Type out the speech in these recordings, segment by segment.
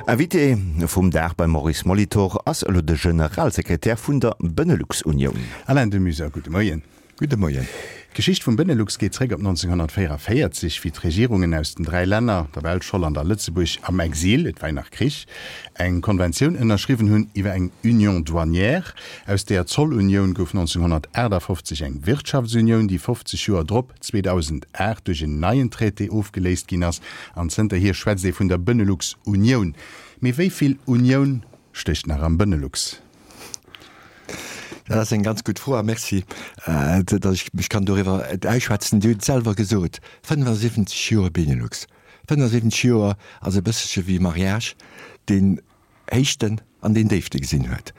Invité vum Dag beim Maurice Molitor ass elo de Generalsekretär vun der Benelux-Unioun. Alain de Muser, gudde Moien. Gudde Moien. D'Geschicht vum Benelux geet zréck op 1944, wéi d'Regierungen aus den 3 Länner, der Belsch, Holland a Lëtzebuerg, am Exil, et war jo nach Krich, eng Konventioun ënnerschriwwen hunn iwwer eng Union douanière. Aus deeër Zollunioun gouf 1958 eng Wirtschaftsunioun, déi 50 Joer drop, 2008, duerch en neien Traité ofgeléist ginn ass. An zënterhier schwätzt ee vun der Benelux-Unioun. Mee wéi vill Unioun stécht nach am Benelux? Dat ass eng ganz gutt Fro a Merci, datt ech mech kann doriwwer ausschwätzen. Dir hutt et selwer gesot, 75 Joer Benelux. 75 Joer ass e bësselche wéi e Mariage, deen Héichten an deen Déifte gesinn huet.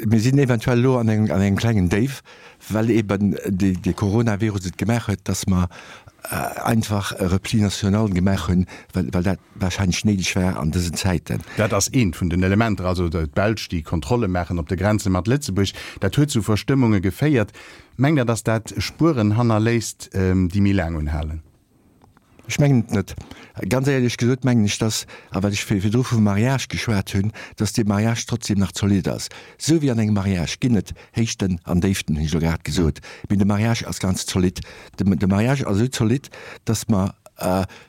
Mir sinn eventuell elo an engem klengen Déif, well eben de Coronavirus et gemaach huet, datt mer einfach e Repli national gemaach hunn, well dat wahrscheinlech néideg war an dësen Zäiten. Dat ass eent vun den Elementer, also d'Belsch, déi Kontrolle maachen op de Grenze mat Lëtzebuerg. Dat huet zu Verstëmmunge geféiert. Mengt Der, datt dat Spueren hannerléisst, déi méi laang unhalen? Ech mengen et net. Ganz éierlech gesot mengen ech, dass, a well ech virdru vum Mariage geschwat hunn, dass dee Mariage trotzdem nach zolidd ass. Esou wéi an engem Mariage ginn et Héichten an Déiften, hunn ech elo grad gesot, mee de Mariage ass ganz zolidd. De Mariage ass esou zolidd, dass mer,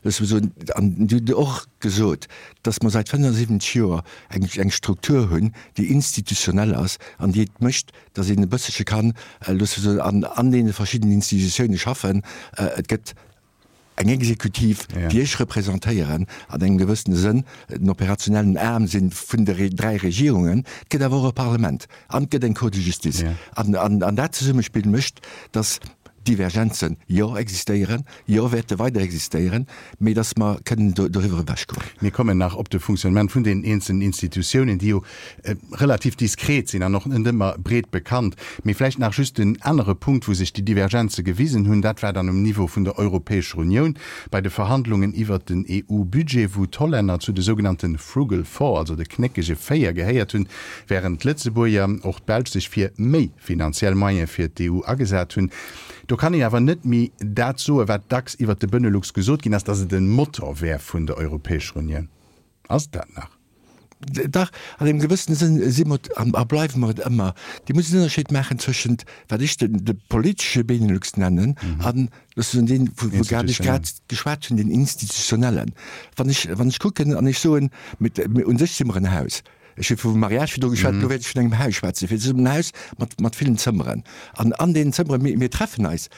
loosse mer soen, an Dir hutt et och gesot, dass mer säit 75 Joer eng Struktur hunn, déi institutionell ass an déi et mécht, dass een e bësselche kann, loosse mer soen, an deene verschiddenen Institutiounen schaffen. Et gëtt eng Exekutiv, déi ech representéieren, an engem gewëssene Sënn den operationellen Aarm si vun de dräi Regierungen. Et gëtt awer och e Parlament an et gëtt eng Cour de justice. An dat Zesummespill mécht, dass Divergenzen, jo, existéieren, jo, wäerte weider existéieren, mee dass mer kënnen doriwwer ewechgoen. Mir kommen nach op de Fonctionnement vun deenen eenzelnen Institutiounen, déi jo relativ diskret sinn an och net ëmmer breet bekannt. Mee vläicht nach just en anere Punkt, wou sech déi Divergenze gewisen hunn, dat war dann um Niveau vun der Europäescher Unioun bei de Verhandlungen iwwert den EU-Budget, wou d'Hollänner zu de sougenannte Frugal Four, also de knéckege Véier, gehéiert hunn, während d'Lëtzebuerger, och d'Belsch, sech fir méi finanziell Moyene fir d'EU agesat hunn. Do kann een awer net méi dat soen, wat dacks iwwert de Benelux gesot ginn ass, datt et en Motor wär vun der Europäescher Unioun. Ass et dat nach? Dach, an engem gewëssene Sënn si mer et a bleiwe mer et ëmmer. Dir musst en Ënnerscheed maachen tëschent, wat ech den de politesche Benelux nennen an, loosse soen, deen, wou wou grad ech grad geschwat hunn, deen institutionellen. Wann ech, wann ech kucken an ech soen, mit, u sech si mer en Haus. Ech hu vum Mariage virdru geschwat, elo wäert ech vun engem Haus schwätzen. Fir et ass en Haus mat, mat villen Zëmmeren. An an deenen Zëmmeren, mir, mir treffen eis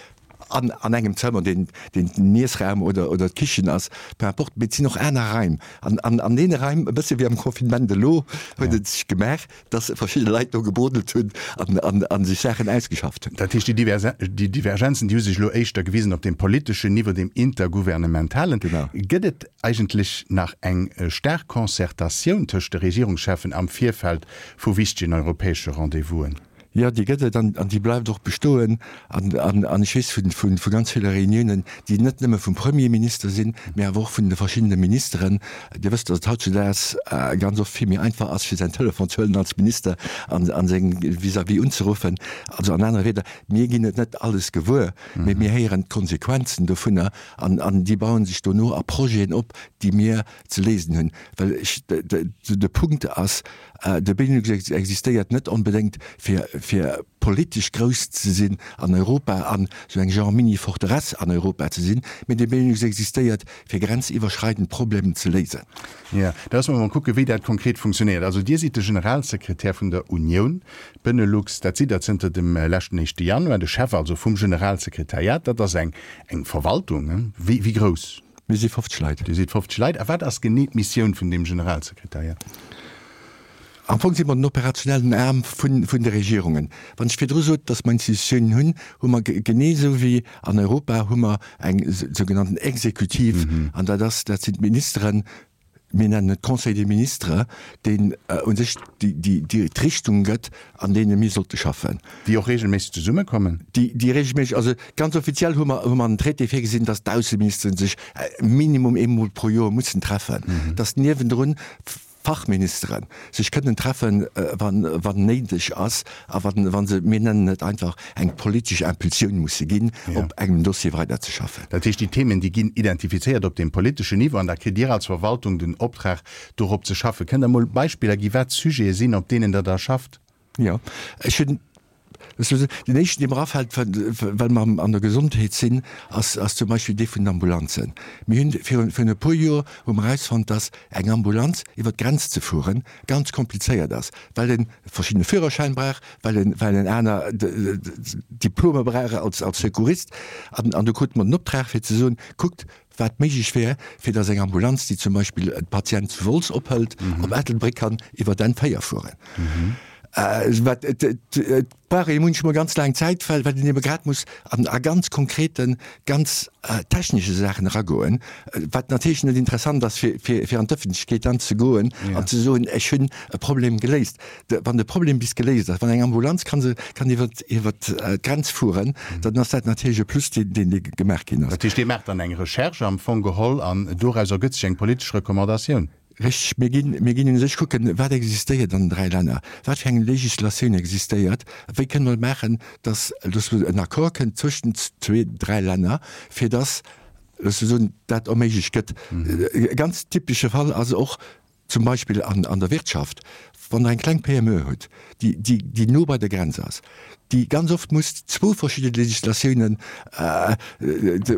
an, an engem Zëmmer, deen, deen den Iessraum oder, oder d'Kichen ass, peu importe, mee et sinn och aner Raim. An, an, an deene Raim, e bësse wéi am Confinement elo, huet et sech gemaach, dass verschidde Leit do gebrodelt hunn an, an, an sech Saachen ausgeschafft hunn. Dat heescht, déi Diverse, déi Divergenzen, déi hu sech elo éischter gewisen op deem politeschen Niveau, deem intergouvernementalen. Genau. Gëtt et eigentlech nach eng staark Concertatioun tëscht de Regierungscheffen am Virfeld vu wichtegen europäesche Rendez-vousen? Jo, déi gëtt et an déi bleift och bestoen. An ech weess vu ganz ville Reuniounen, déi net nëmme vum Premierminister sinn, mä awer och vun de verschiddene Ministeren. Dir wësst, datt et hautzudaags ganz oft vill méi einfach ass, fir säin Telefon ze huelen als Minister an seng Vis-à-vis unzeruffen. Also an anere Wieder, mir ginn et net alles gewuer, mä mir héieren d'Konsequenzen dovunner an déi baue sech dono a Projeten op, déi mir ze léisen hunn. Well ech, de Punkt ass, De Benelux existéiert net onbedéngt fir fir politesch grouss ze sinn an Europa an esou eng genre Mini-Forteresse an Europa ze sinn, mee de Benelux existéiert fir grenziwwerschreidend Problemen ze léisen. Jo, da loosse mer mol kucken, wéi dat konkret funktionéiert. Also Dir sidd de Generalsekretär vun der Unioun Benelux, dat sidd Der zënter dem leschten éischte Januar, de Chef also vum Generalsekretariat. Dat ass eng eng Verwaltung. Wéi wéi grouss? Mir si 50 Leit. Dir sidd 50 Leit. A wat ass genee d'Missioun vun deem Generalsekretariat? Am Fong si mer den operationellen Aarm vun de Regierungen. Wann ech virdru sot, datt mer Institutiounen hunn, hu mer genee esou wéi an Europa hu mer eng sougenannten Exekutiv, an dat ass, dat sinn d'Ministeren, mir nennen et Conseil des ministres, deen u sech d'Richtung gëtt, an deene mir sollte schaffen. Déi och regelméisseg zesummekommen? Déi regelméisseg, also ganz offiziell hu mer, hu mer an den Traité virgesinn, dass d'Ausseministere sech minimum eemol pro Joer mussen treffen, dass niewendrun. Fachministere sech kënnen treffen, wann néideg ass a wa se, mir nennen et einfach, eng politesch Impulsioun musse ginn, op engem Dossier weiderzeschaffen. Dat heescht, déi Themen, déi ginn identifizéiert op deem politeschen Niveau an da kritt Dir als Verwaltung den Optrag, dorop ze schaffen. Kënnt Der emol Beispiller gi wat Sujete sinn, op deenen Der da schafft? Jo, ech hunn, den éischten, dee mer afält, well mer an der Gesondheet sinn, ass zum Beispill dee vun den Ambulanzen. Mir hunn virun e puer Joer hu mer erausfonnt, dass eng Ambulanz iwwer d'Grenz ze fuere ganz komplizéiert ass, well e verschiddene Führerschäin brauch, well en well en aner Diplome brauch als Secourist. An do krute mer den Optrag fir ze soen, kuckt, wat méiglech wär, fir datt eng Ambulanz, déi zum Beispill e Patient zu Wolz ophëlt, op Ettelbréck kann iwwer d'N 4 fueren. Wat et brauch ee munchmol ganz laang Zäit, well well een ebe grad muss an a ganz konkreten, ganz technesche Saachen eragoen, wat natierlech net interessant ass, fir fir fir an d'Ëffentlechkeet dann ze goen an ze soen, ech hunn e Problem geléist. Wann de Problem bis geléist ass, wann eng Ambulanz kann se kann iwwer iwwer d'Grenz fueren, dann ass dat natierlech e Plus, deen deen dee gemaach ginn ass. Dat heescht, Dir maacht dann eng Recherche am Fong geholl an doraus ergëtt sech eng politesch Recommandatioun? Richteg. Mir ginn, mir ginn u sech kucken, wat existéiert an den 3 Länner, wat fir eng Législatioun existéiert, wéi kënne mer et maachen, dass dass en Accord kënnt zwëschent zwee, 3 Länner, fir dass, loosse soen, dat erméiglecht gëtt. E ganz typesche Fall ass och Zum Beispill an der Wirtschaft, wann Der eng kleng PME hutt, déi no bei der Grenz ass, déi ganz oft muss zwou verschidde Législatiounen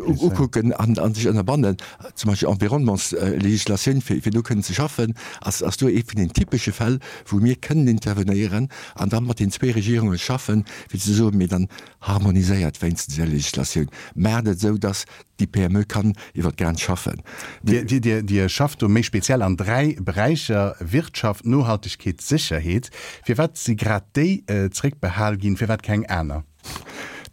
ukucken a sech ënnerbannen, zum Beispill Environnementslégislatioun, fir do kënnen ze schaffen, ass do ee vun den typesche Fäll, wou mir kënnen intervenéieren an da mat den zwee Regierunge schaffen, fir ze soen, Mee dann harmoniséiert wéinstens Är Législatioun, maacht et esou, dass Déi PME kann iwwer d'Grenz schaffen. Dir schafft do méi speziell an 3 Beräicher, Wirtschaft, Nohaltegkeet, Sécherheet. Firwat si grad déi zréckbehal ginn, firwat keng aner?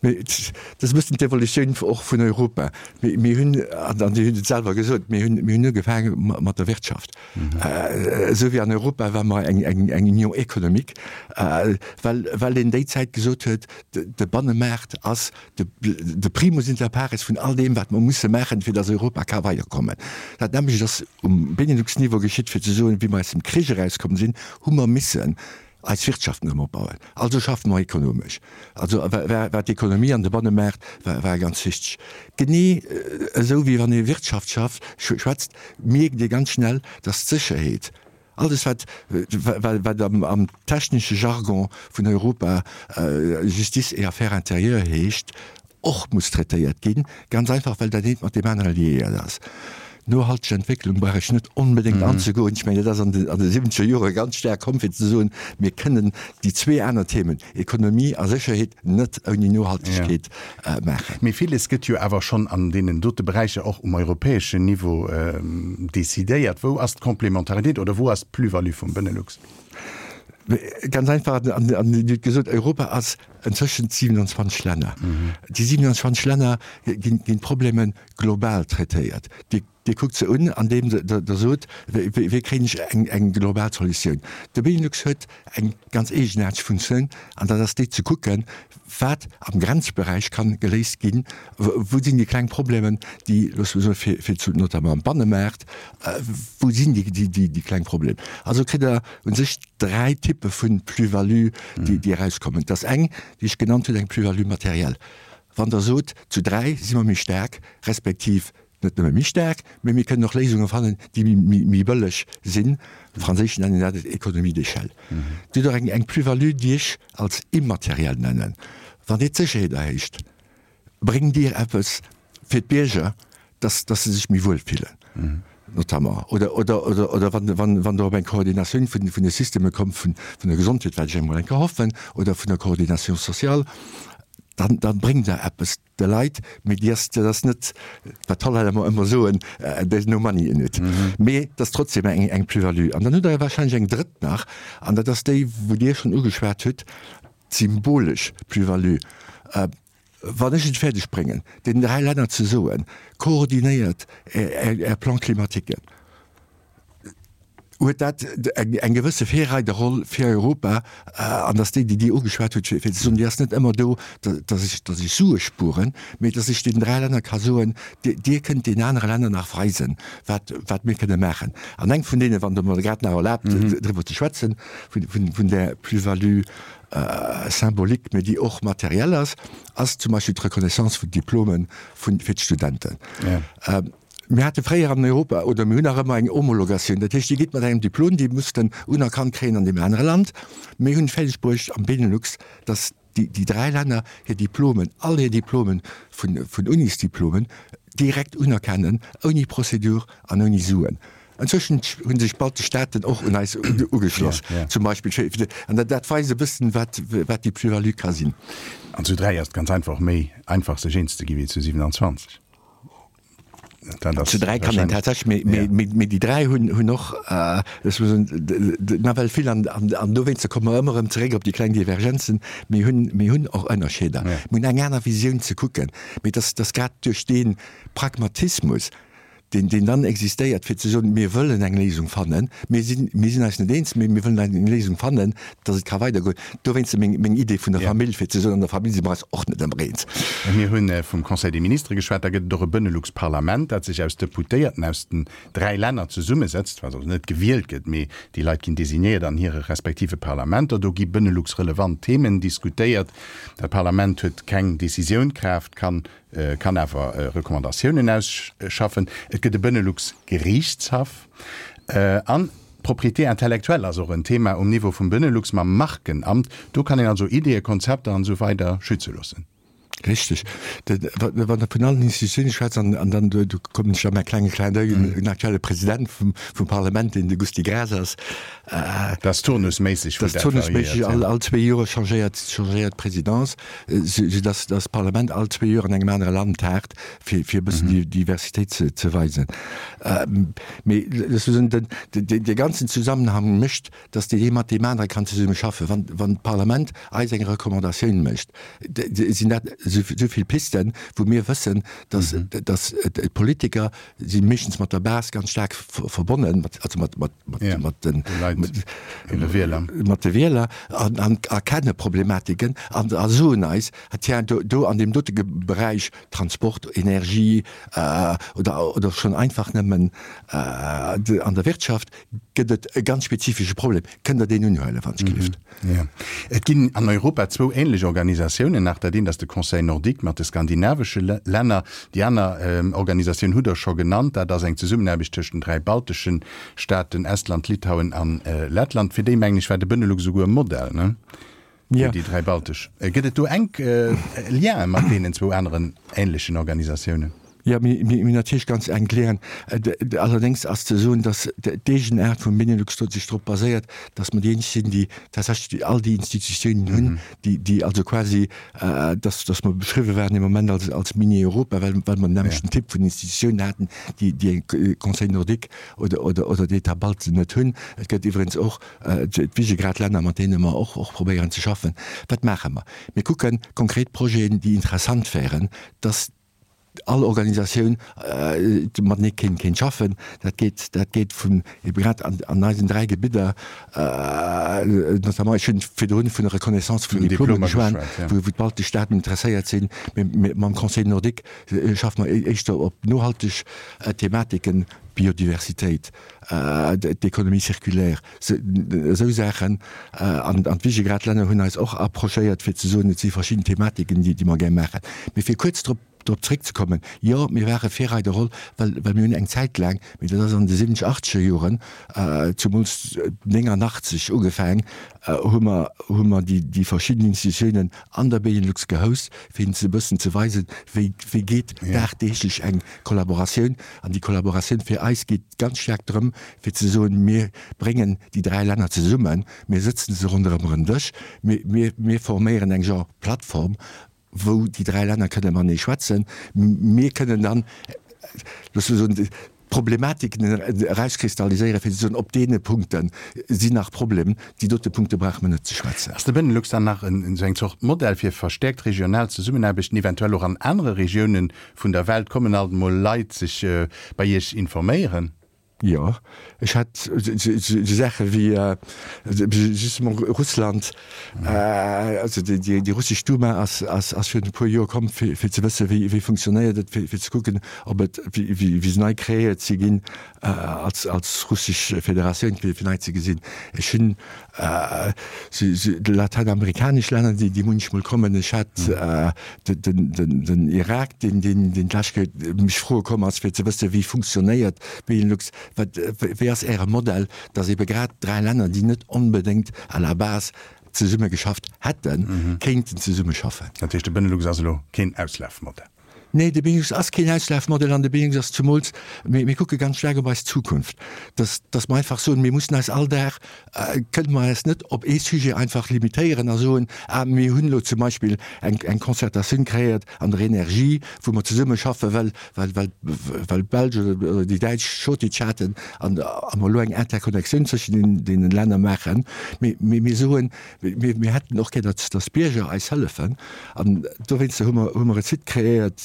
Mee dat ass e bëssen d'Evolutioun och vun Europa. Mir hunn, an Dir hutt et selwer gesot, mir hunn, mir hunn ugefaange mat der Wirtschaft. Esou wéi an Europa war mer eng Union économique, well, well een déi Zäit gesot huet, de Bannemaart ass de primus inter pares vun all deem, wat mer musse maachen, fir datt Europa ka weiderkommen. Dat nämmlecht ass um Benelux-Niveau geschitt, fir ze soen, wéi mer aus dem Krich erauskomm sinn, hu mer missen eis Wirtschaft erëm opbauen. Also schaffe mer ekonomesch. Also war war d'Ekonomie an de Bannemaart war war ganz wichteg. Genee esou wéi wann ee Wirtschaft schafft schwätzt, mierkt ee ganz schnell, datt d'Sécherheet, Alles wat wat am technesche Jargon vun Europa Justice et Affaires intérieures heescht, och muss traitéiert ginn, ganz einfach well dat eent mat deem anere liéiert ass. Nohalteg Entwécklung brauch ech net onbedéngt anzegoen. Ech mengen, dat ass an de siwwenzeger Jore ganz staark komm, fir ze soen, mir kënnen déi zwee aner Themen, Ekonomie a Sécherheet, net ouni Nohaltegkeet maachen. Mee villes gëtt jo awer schonn an deenen dote Beräicher och um europäeschen Niveau decidéiert. Wou ass d'Complémentaritéit oder wou ass d'Plus-value vum Benelux? Ganz einfach, an Dir hutt gesot, Europa ass inzwëschent 27 Länner. Déi 27 Länner ginn d'Problemen global traitéiert. Dir Dir kuckt se un, andeem Der sot, Wéi kréien ech eng global Solutioun? De Benelux huet eng ganz eegenaarteg Funktioun, an dat ass déi ze kucken, wat am Grenzberäich kann geléist ginn, wou sinn déi kleng Problemen, déi, loosse mer soen, fir, fir zu, notamment am Bannemaart, wou sinn déi, déi, déi kleng Problemen? Also kritt Der u sech dräi Typpe vu Plus-value, déi, déi erauskommen. Dat ass eng, déi ech genannt hunn, eng Plus-value matérielle. Wann Der sot, zu dräi si mer méi staark, respektiv Net nëmme méi staark, mee mir kënnen och Léisunge fannen, déi méi bëlleg sinn. Am Franséischen nennen dat et Économie d'échelle. Dir hutt och eng Plus-value, déi ech als immateriell nennen. Wann Dir d'Sécherheet erhéicht, bréngt Dir eppes fir d'Bierger, dass se sech méi wuel fillen, notamment. Oder wann Der op eng Koordinatioun vun de Systeme kommt, vun der Gesondheet, wat ech emol eng Kéier hoffen, oder vun der Coordination sociale, dann bréngt Der eppes. De Leit, mee déi ass, dat ass net, wat d'Hollänner ëmmer ëmmer soen, there's no money in it. Mee et ass trotzdem eng, eng Plus-value. An dann hutt Der wahrscheinlech eng drëtt nach, an dat ass déi, wou Dir schonn ugeschwat hutt, d'symbolesch Plus-value. Wann ech et fäerdeg bréngen, deenen dräi Länner ze soen, koordinéiert Är, Är Plan-climatiquen. Huet dat eng gewësse Virreiderroll fir Europa, an dass déi, déi Dir ugeschwat hutt, fir ze soen, déi ass net ëmmer do, dass ech, dass ech Sue spueren, mee dass ech deenen 3 Länner ka soen, Dir kënnt deenen anere Länner nach weisen, wat, wat mir kënne maachen. An eng vun deenen, wann Der mer grad nach erlaabt, driwwer ze schwätzen, vun, vun där Plus-value symbolique, mee déi och materiell ass, ass zum Beispill d'Reconnaissance vun Diplome vun, fir d'Studenten. Mir hate fréier an Europa, oder mir hunn nach ëmmer eng Homologatioun, dat heescht, Dir gitt mat engem Diplom, Dir musst en unerkannt kréien an deem anere Land. Mir hunn et fäerdeg bruecht am Benelux, datt déi 3 Länner hir Diplomen, all hir Diplomen vun Unisdiplomen direkt unerkennen, ouni Prozedur an ouni Suen. Inzwischen hu sech d'baltesch Staaten och un eis ugeschloss, zum Beispill. An dat weist e bëssen, wat déi Plus-value ka sinn. An zu 3 ass et ganz einfach och méi einfach, sech eens ze gi wéi zu 27. Zu 3 kann een tatsächlech, mee déi 3 hunn och nawell vill an dowéinster komme mer ëmmer erëm zeréck op déi kleng Divergenzen. Mir hunn och Ënnerscheeder, mir hunn eng aner Visioun ze kucken, mee dass grad duerch dee Pragmatismus, deen dann existéiert, fir ze soen, mir wëllen eng Léisung fannen, mir sinn, mir sinn eis net eens, mee mir wëllen eng Léisung fannen, dass et ka weidergoen. Dowéinst meng, meng Idee vun der Famill, fir ze soen, an der Famill si mer eis och net ëmmer eens. Mir hu vum Conseil des Ministres geschwat. Da gëtt et och e Benelux-Parlament, dat sech aus Deputéierten aus den 3 Länner zesummesetzt, wat also net gewielt gëtt, mee déi Leit ginn designéiert an hire respektive Parlamenter. Do gi Benelux-relevant Themen diskutéiert. Dat Parlament huet keng Décisiounkraaft, kann kann awer Recommandatiounen ausschaffen. Et gëtt e Benelux-Geriichtshaff. An d'Propriété intellectuelle ass och en Thema um Niveau vum Benelux mam Markenamt. Do kann een also Ideeë, Konzepter an esou weider schütze loossen. Richteg. Wann Der vun allen Institutiounen schwätzt, an dann, do kommen ech a mäi klenge Clin d'oeil, den aktuelle President vum Parlament, deen de Gusty Graas ass. Dat ass turnusméisseg, wou dat variéiert. Dat ass turnusméisseg, all zwee Jore changéiert d'Presidence. Sou dass das Parlament all zwee Joer an engem anere Land taagt, fir fir e bëssen déi Diversitéit ze ze weisen. Mee sozusagen den dee ganzen Zusammenhang mécht, dass deen ee mat deem anere kann zesumme schaffen. Wann wann d'Parlament eis eng Recommandatioun mécht, sinn dat esou vill Pisten, wou mir wëssen, dass dass d'Politiker si meeschtens mat der Base ganz staark verbonnen, also mat, mat, mat, ja, mat den Leit, hire Wieler, mat de Wieler an, an erkenne Problematiken an a soen eis, tiens, do, do an deem dote Beräich, Transport, Energie äh, oder, oder schonn einfach nëmmen äh, an der Wirtschaft, gëtt et e ganz spezifesche Problem. Kënnt Der deen unhuelen, wann ech gelift? Jo. Et ginn an Europa zwou ähnlech Organisatiounen nach. Dat eent ass de Conseil nordique mat de skandinavesche Länner. Déi aner Organisatioun hutt Der scho genannt. Dat ass eng Zesummenaarbecht tëscht den dräi baltesche Staaten, Estland, Litauen an Lettland. Fir déi, mengen ech, war de Benelux esouguer e Modell, ne? Fir déi dräi baltesch. Gëtt et do enk Liene mat deenen zwou aneren ähnlechen Organisatiounen? Jo, mir hunn natierlech ganz enk Lienen. Allerdéngs ass ze soen, datt d'Eegenaart vum Benelux do sech drop baséiert, datt mer déi eenzeg sinn, déi tatsächlech all déi Institutiounen hunn, déi also quasi, datt datt mer beschriwwe waren ee Moment als als Mini-Europa, well well mer den nämmlechten Typ vun Institutiounen haten, déi déi e Conseil nordique oder oder oder d'États baltes net hunn. Et gëtt iwwregens och d'Visegrad-Länner, mat deene mer och och probéieren ze schaffen. Wat maache mer? Mir kucke konkret Projeten, déi interessant wären, datt all Organisatioun matenee kéint kéint schaffen. Dat geet, dat geet vun ebe grad an an eisen 3 Gebidder, notamment, ech hunn virdrun vun der Reconnaissance vun Diplomer geschwat, wou wou d'baltesch Staaten interesséiert sinn, mee mam Conseil nordique schaffe mer éischter op nohalteg Thematiken, Biodiversitéit, d'Économie circulaire, esou Saachen. An d'Visegrad-Länner hunn eis och approchéiert, fir ze soen, et si verschidden Thematiken, déi mer gär maachen. Mee fir kuerz drop drop zréckzekommen, Jo, mir ware Virreiderroll, well well mir hunn eng Zäit laang, mee dat ass an de siwwenzeg, achtzeger Joren, zumools 89 ugefaang, hu mer hu mer déi déi verschidden Institutiounen an der Benelux gehost, fir hinnen ze e bëssen ze weisen, wéi wéi geet dagdeeglech eng Kollaboratioun. An déi Kollaboratioun fir eis geet ganz staark drëm, fir ze soen, mir bréngen déi dräi Länner zesummen, mir sëtzen se ronderëm en Dësch, mir, mir, mir forméieren eng Genre Plattform, wou déi dräi Länner kënne matenee schwätzen. Mir kënnen dann, loosse mer soen, d'Problematiken erauskristalliséieren, fir ze soen, op deene Punkte sinn nach Problemen, déi dote Punkte brauche mer net ze schwätzen. Ass de Benelux dann nach esou eng Zort Modell fir verstäerkt regional Zesummenaarbechten, eventuell och an anere Regiounen vun der Welt? Kommen alt emol Leit sech bei Iech informéieren? Jo, ech hat esou Saache wéi justement Russland, also déi russesch Duma ass virun e puer Joer komm fir ze wësse wéi funktionéiert et, fir ze kucken ob et, wéi se nei kreéiert si ginn als russesch Federatioun, fir nei ze gesinn. Ech hunn Latäinamerikanesch Länner, déi munchmol kommen. Ech hat den Irak, deen d'lescht Kéier mech froe komm ass, fir ze wëssen, wéi funktionéiert Benelux, wat, wéi ass Äre Modell, datt ebe grad 3 Länner, déi net onbedéngt à la base zesumme geschafft hätten, kéinten zesumme schaffen. Dat heescht, de Benelux ass elo keen Auslafmodell? Nee, de Benelux ass keen Auslafmodell an de Benelux ass zumools, mir, mir kucke ganz staark op eis Zukunft, dass, dass mer einfach soen, mir mussen eis all Dag, kënne mer eis net op ee Sujet einfach limitéieren a soen, ah mir hunn elo zum Beispill eng, eng Concertatioun kreéiert an der Energie, wou mer zesumme schaffen, well, well, well, well d'Belsch oder, oder déi Däitsch Shortage haten an, a mer elo eng Interconnectioun zwëschen deenen, deenen Länner maachen. Mee, mee mir soen, Mir hätten och gär, datt d'Bierger eis hëllefen. An dowéinster hu mer, hu mer e Site kreéiert,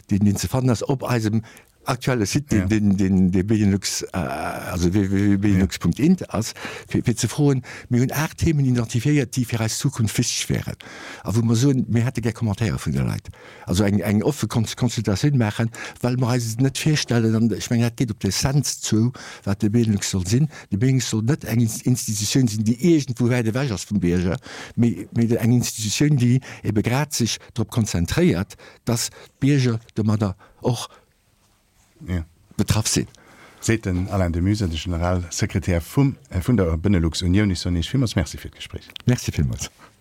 deen, deen ze fannen ass op eisem aktuelle Site, deen, deen, dee Benelux, also www.benelux.int ass, fir, fir ze froen, mir hunn 8 Themen identifiéiert, déi fir eis Zukunft wichteg wären a wou mer soen, mir hätte gär Commentaire vun de Leit. Also eng, eng offe Consultatioun maachen, well mer eis et net virstellen, an ech mengen, dat geet op d'Essenz zou, wat de Benelux soll sinn. De Benelux soll net eng Institutioun sinn, déi iergendwou wäit ewech ass vum Bierger, mee, mee eng Institutioun, déi ebe grad sech drop konzentréiert, dass d'Bierger domadder och betraff sinn. Seet den Alain de Meuser, de Generalsekretär vum, vun der Benelux-Unioun. Ech soen Iech villmools Merci fir d'Gespréich. Merci villmools.